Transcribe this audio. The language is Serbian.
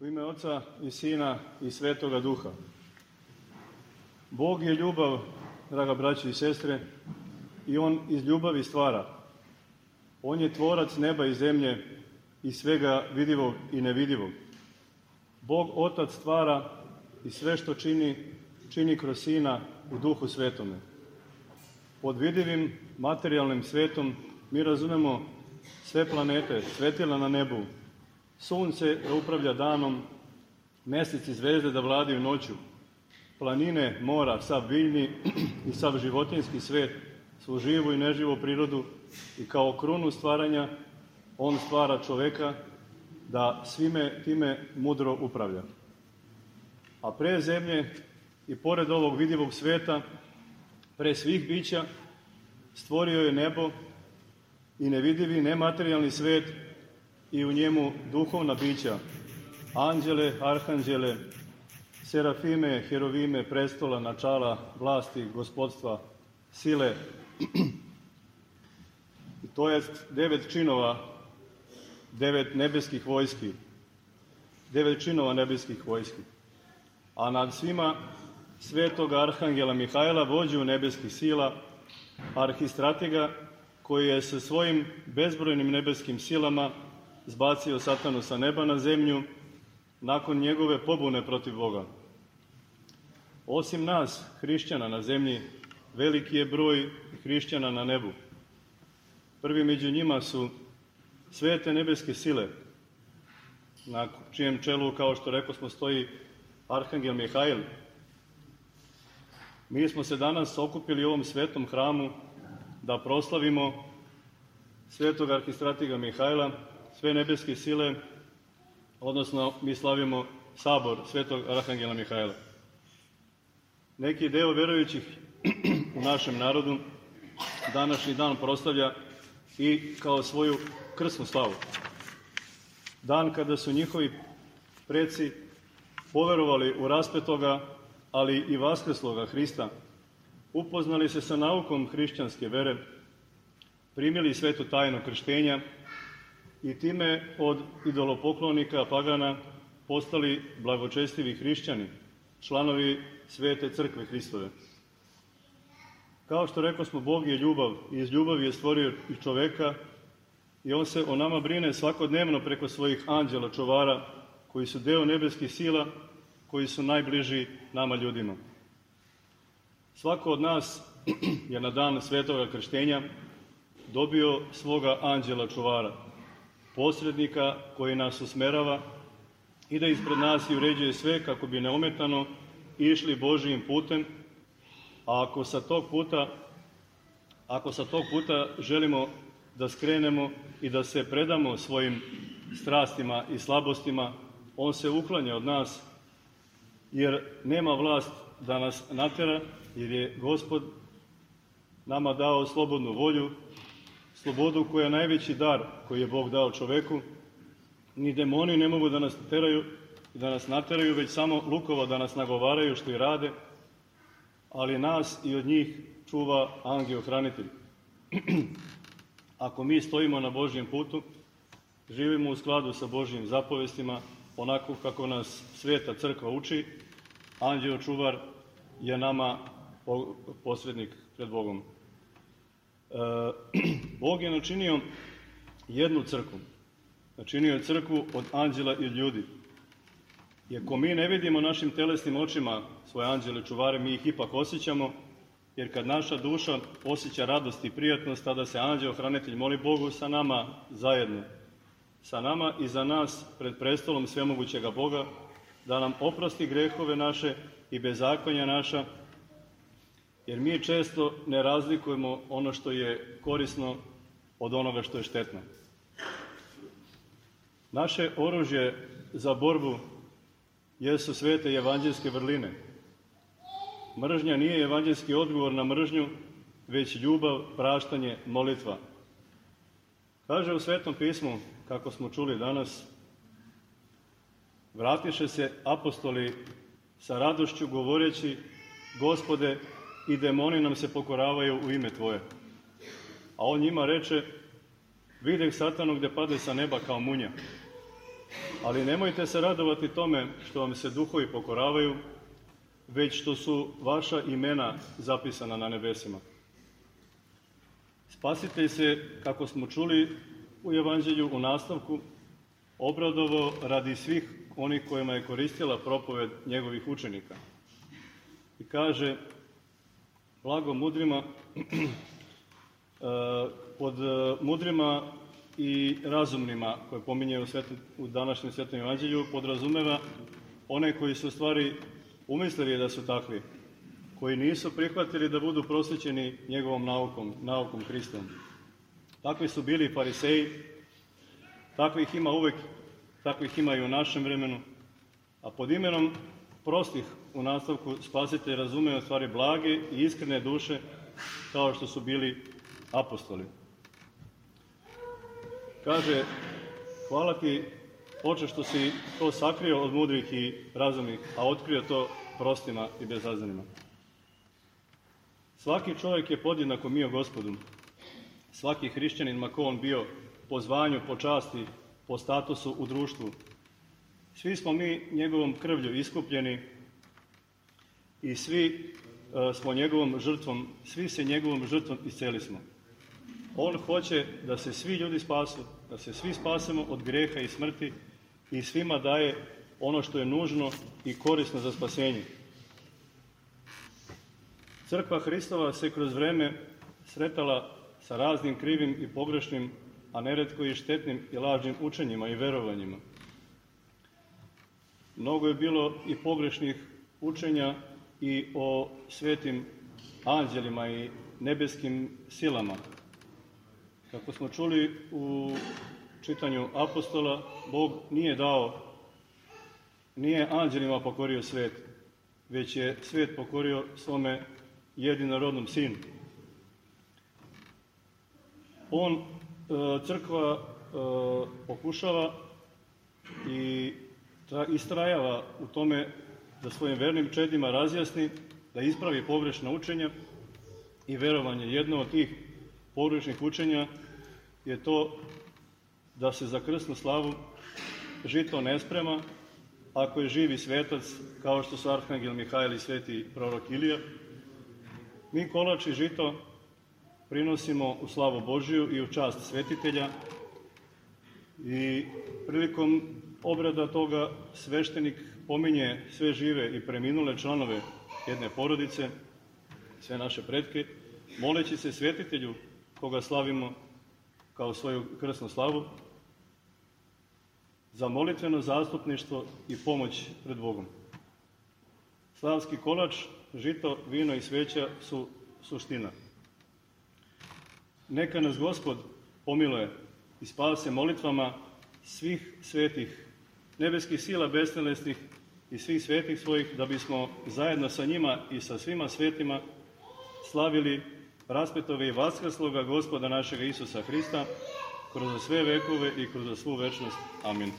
U ime Oca i Sina i Svetoga Duha. Bog je ljubav, draga braći i sestre, i On iz ljubavi stvara. On je tvorac neba i zemlje i svega vidivog i nevidivog. Bog Otac stvara i sve što čini kroz Sina u Duhu Svetome. Pod vidivim materijalnim svetom mi razumemo sve planete, svetila na nebu, sunce da upravlja danom, mesec i zvezde da vladaju noću, planine, mora, sav biljni i sav životinjski svet, svu živu i neživu prirodu, i kao krunu stvaranja On stvara čoveka da svime time mudro upravlja. A pre zemlje i pored ovog vidivog sveta, pre svih bića, stvorio je nebo i nevidivi nematerijalni svet i u njemu duhovna bića, anđele, arhanđele, serafime, herovime, prestola, načala, vlasti, gospodstva, sile. To je 9 činova, 9 nebeskih vojski, 9 činova nebeskih vojski. A nad svima svetoga arhangela Mihajla, vođu nebeskih sila, arhistratega, koji je sa svojim bezbrojnim nebeskim silama zbacio satanu sa neba na zemlju nakon njegove pobune protiv Boga. Osim nas, hrišćana na zemlji, veliki je broj hrišćana na nebu. Prvi među njima su svete nebeske sile, na čijem čelu, kao što rekosmo, stoji arhangel Mihajl. Mi smo se danas okupili u ovom svetom hramu da proslavimo svetog arhistratega Mihajla, sve nebeske sile, odnosno mi slavimo sabor svetog arhangela Mihajla. Neki deo verujućih u našem narodu današnji dan proslavlja i kao svoju krsnu slavu. Dan kada su njihovi preci poverovali u raspetoga, ali i vaskrsloga Hrista, upoznali se sa naukom hrišćanske vere, primili svetu tajnu krštenja i time od idolopoklonika pagana postali blagočestivi hrišćani, članovi svete crkve Hristove. Kao što rekosmo, Bog je ljubav i iz ljubavi je stvorio i čoveka i On se o nama brine svakodnevno preko svojih anđela čuvara koji su deo nebeskih sila, koji su najbliži nama ljudima. Svako od nas je na dan svetoga krštenja dobio svoga anđela čuvara, posrednika koji nas usmerava i da ispred nas i uređuje sve kako bi neometano išli Božijim putem, a ako sa tog puta želimo da skrenemo i da se predamo svojim strastima i slabostima, On se uklanja od nas, jer nema vlast da nas natera, jer je Gospod nama dao slobodnu volju, slobodu koja je najveći dar koji je Bog dao čoveku. Ni demoni ne mogu da nas nateraju, već samo lukova da nas nagovaraju što i rade, ali nas i od njih čuva angel-hranitelj. Ako mi stojimo na Božjem putu, živimo u skladu sa Božjim zapovestima, onako kako nas sveta crkva uči, anđeo čuvar je nama posrednik pred Bogom. Bog je načinio jednu crkvu. Načinio je crkvu od anđela i od ljudi. Iako mi ne vidimo našim telesnim očima svoje anđele čuvare, mi ih ipak osjećamo, jer kad naša duša osjeća radost i prijatnost, tada se anđeo-hranitelj moli Bogu sa nama zajedno, sa nama i za nas pred prestolom svemogućega Boga, da nam oprosti grehove naše i bezakonja naša, jer mi često ne razlikujemo ono što je korisno od onoga što je štetno. Naše oružje za borbu jesu svete evanđelske vrline. Mržnja nije evanđelski odgovor na mržnju, već ljubav, praštanje, molitva. Kaže u Svetom pismu, kako smo čuli danas, vratiše se apostoli sa radošću govoreći: Gospode, i demoni nam se pokoravaju u ime Tvoje. A On njima reče: videh satanu gde pade sa neba kao munja. Ali nemojte se radovati tome što vam se duhovi pokoravaju, već što su vaša imena zapisana na nebesima. Spasitelj se, kako smo čuli u Evanđelju u nastavku, obradovao radi svih onih kojima je koristila propoved njegovih učenika. I kaže, blago mudrima, pod mudrima i razumnima, koje pominje u današnjem Svetom Evanđelju, podrazumeva one koji su u stvari umislili da su takvi, koji nisu prihvatili da budu prosvećeni njegovom naukom Hristovom. Takvi su bili fariseji, takvih ima uvek, takvih ima i u našem vremenu, a pod imenom prostih u nastavku Spasitelj razume u stvari blage i iskrene duše, kao što su bili apostoli. Kaže, hvala ti, Oče, što si to sakrio od mudrih i razumnih, a otkrio to prostima i bezazanima. Svaki čovjek je podjednako mio Gospodu. Svaki hrišćanin, ma ko on bio, po zvanju, po časti, po statusu u društvu. Svi smo mi njegovom krvlju iskupljeni i svi smo njegovom žrtvom, svi se njegovom žrtvom isceli smo. On hoće da se svi ljudi spasu, da se svi spasemo od greha i smrti i svima daje ono što je nužno i korisno za spasenje. Crkva Hristova se kroz vreme sretala sa raznim krivim i pogrešnim, a neretko i štetnim i lažnim učenjima i verovanjima. Mnogo je bilo i pogrešnih učenja i o svetim anđelima i nebeskim silama. Kako smo čuli u čitanju apostola, Bog nije anđelima pokorio svet, već je svet pokorio svome jedinorodnom sinu. Crkva pokušava i istrajava u tome da svojim vernim čedima razjasni, da ispravi pogrešna učenja i verovanje. Jedno od tih pogrešnih učenja je to da se za krsnu slavu žito ne sprema ako je živi svetac, kao što su arhangel Mihajl i sveti prorok Ilija. Mi kolač i žito prinosimo u slavu Božiju i u čast svetitelja i prilikom obrada toga sveštenik pominje sve žive i preminule članove jedne porodice, sve naše pretke, moleći se svetitelju koga slavimo kao svoju krsnu slavu, za molitveno zastupništvo i pomoć pred Bogom. Slavski kolač, žito, vino i sveća su suština. Neka nas Gospod pomiluje i spase molitvama svih svetih, nebeskih sila bestelesnih i svih svetih svojih, da bismo zajedno sa njima i sa svima svetima slavili raspetove i vaskrsloga Gospoda našega Isusa Hrista kroz sve vekove i kroz svu večnost. Amin.